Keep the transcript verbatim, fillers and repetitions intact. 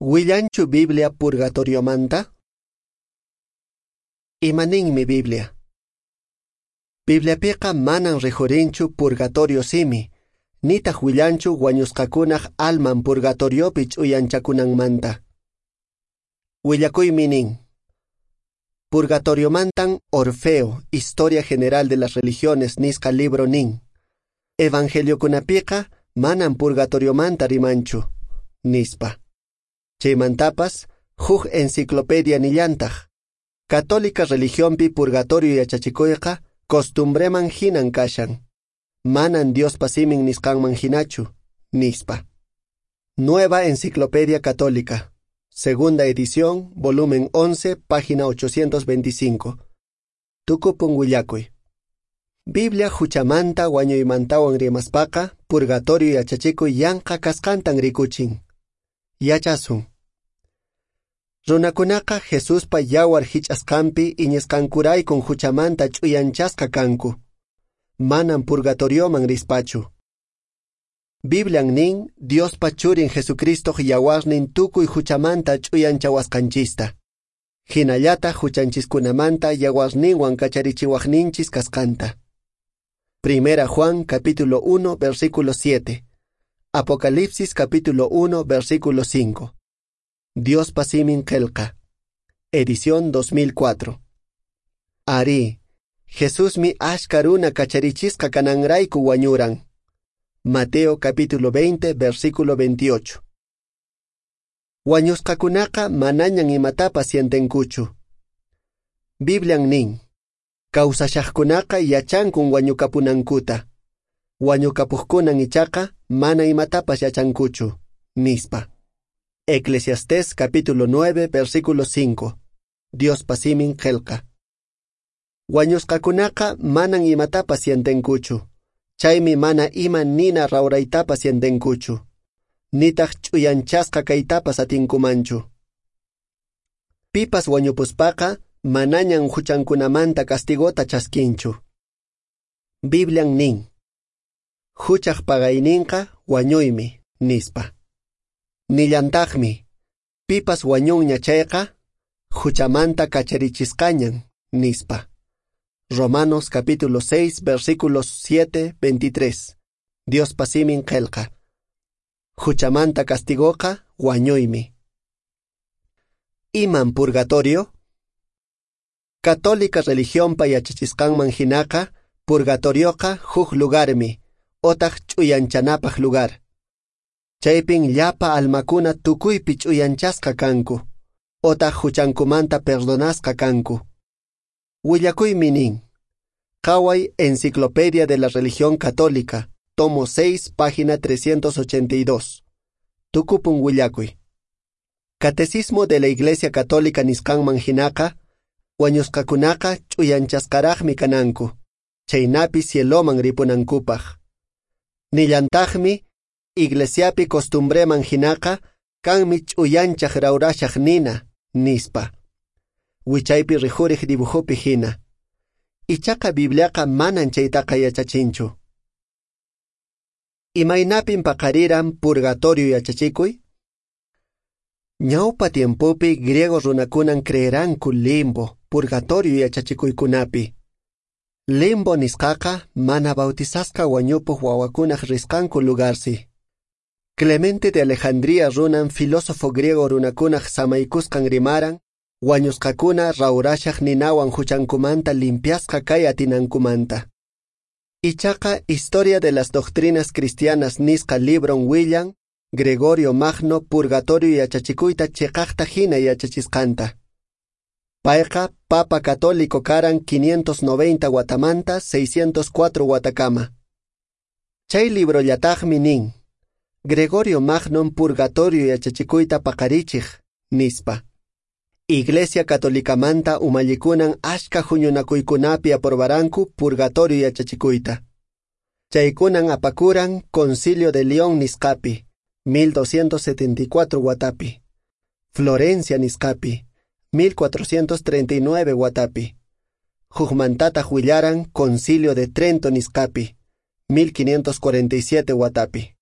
Willanchu Biblia purgatoriomanta? Imaninmi Biblia? Bibliapiqa manan rijurinchu purgatorio simi, nitaq willanchu wañusqakunaq alman purgatoriopi ch'uyanchakunanmanta. Willakuymi nin. Purgatoriomantan Orfeo, Historia General de las Religiones nisqa libro nin. Evangeliokunapiqa manan purgatoriomanta rimanchu, nispa. Chaymantapas, huk enciclopedia nillantaq. Católica religionpi purgatorio yachachikuyqa costumbreman hinan kashan. Manan Diospa simin nisqanman hinachu, nispa. Nueva Enciclopedia Católica, segunda edición, volumen once, página ochocientos veinticinco. Tukupun willakuy. Biblia huchamanta wañuymantawan rimaspaqa purgatorio yachachikuy yanqa kasqantan rikuchin. Yachasun. Runakunaqa Jesuspa yawar hich'asqanpi iñisqankuraykun huchamanta ch'uyanchasqa kanku. Manan purgatorioman rispachu. Biblian nin Diospa churin Jesucristoq yawarnin tukuy huchamanta ch'uyanchawasqanchista. Hinallataq huchanchiskunamanta yawarninwan kacharichiwaqninchis kasqanta. Primera Juan capítulo uno versículo siete. Apocalipsis capítulo uno versículo cinco. Diospa simin qelqa. Edición dos mil cuatro. Ari, Jesusmi ashka runa kacharichisqa kananrayku wañuran. Mateo capítulo veinte versículo veintiocho. Wañusqakunaqa manañan imatapas sientenkuchu. Biblian nin, kawsashaqkunaqa yachankun wañukapunankuta. Wañukapuqkunan ichaqa mana imatapas yachankuchu, nispa. Eclesiastés capítulo nueve versículo cinco. Diospa simin qelqa. Wañusqakunaqa manan imatapas sientenkuchu. Chaymi mana ima nina rawraytapas sientenkuchu. Nitaq ch'uyanchasqa kaytapas atinkumanchu. Pipas wañupuspaqa manañan huchankunamanta castigota chaskinchu. Biblian nin. Huchaq pagayninqa wañuymi, nispa. Nillantaqmi, pipas wañunña chayqa, huchamanta kacharichisqañan, nispa. Romanos capítulo seis, versículos siete, veintitrés. Diospa simin qelqa. Huchamanta castigoqa wañuymi. Iman purgatorio? Católica religionpa yachachisqanman hinaqa, purgatorioqa huk lugarmi, otaq ch'uyanchanapaq lugar. Chaypin llapa almakuna tukuypi ch'uyanchasqa kanku, otaq huchankumanta perdonasqa kanku. Willakuymi nin. Qhaway Enciclopedia de la Religión Católica, tomo seis, página trescientos ochenta y dos. Tukupun willakuy. Catecismo de la Iglesia Católica nisqanman hinaqa, wañusqakunaqa ch'uyanchasqaraqmi kananku, chaynapi cieloman ripunankupaq. Nillantaqmi, iglesiapi costumbreman hinaqa, kanmi ch'uyanchaq rawrashaq nina, nispa. Wichaypi rijuriq dibujopi hina. Ichaqa Bibliaqa manan chaytaqa yachachinchu. Imaynapin paqariran purgatorio yachachikuy? Ñawpa tiempopi griego runakunan creeranku limbo, purgatorio yachachikuykunapi. Limbo nisqaqa mana bautizasqa wañupuq wawakunaq risqanku lugarsi. Clemente de Alejandría runan filósofo griego runakunaq samaykusqan rimaran, wañusqakuna rawrashaq ninawan huchankumanta limpiasqa kay atinankumanta. Ichaqa Historia de las Doctrinas Cristianas nisqa libron willan, Gregorio Magno purgatorio yachachikuyta chiqaqta hina yachachisqanta. Payqa Papa Católico karan quinientos noventa watamanta seiscientos cuatro watakama. Chay librollataqmi nin, Gregorio Magnon purgatorio yachachikuyta paqarichiq, nispa. Iglesia Católicamanta umallikunan ashka huñunakuykunapi aprobaranku purgatorio yachachikuyta. Chaykunan apakuran Concilio de León nisqapi, mil doscientos setenta y cuatro watapi, Florencia nisqapi, mil cuatrocientos treinta y nueve watapi, Hukmantataq willaran Concilio de Trento nisqapi, mil quinientos cuarenta y siete watapi.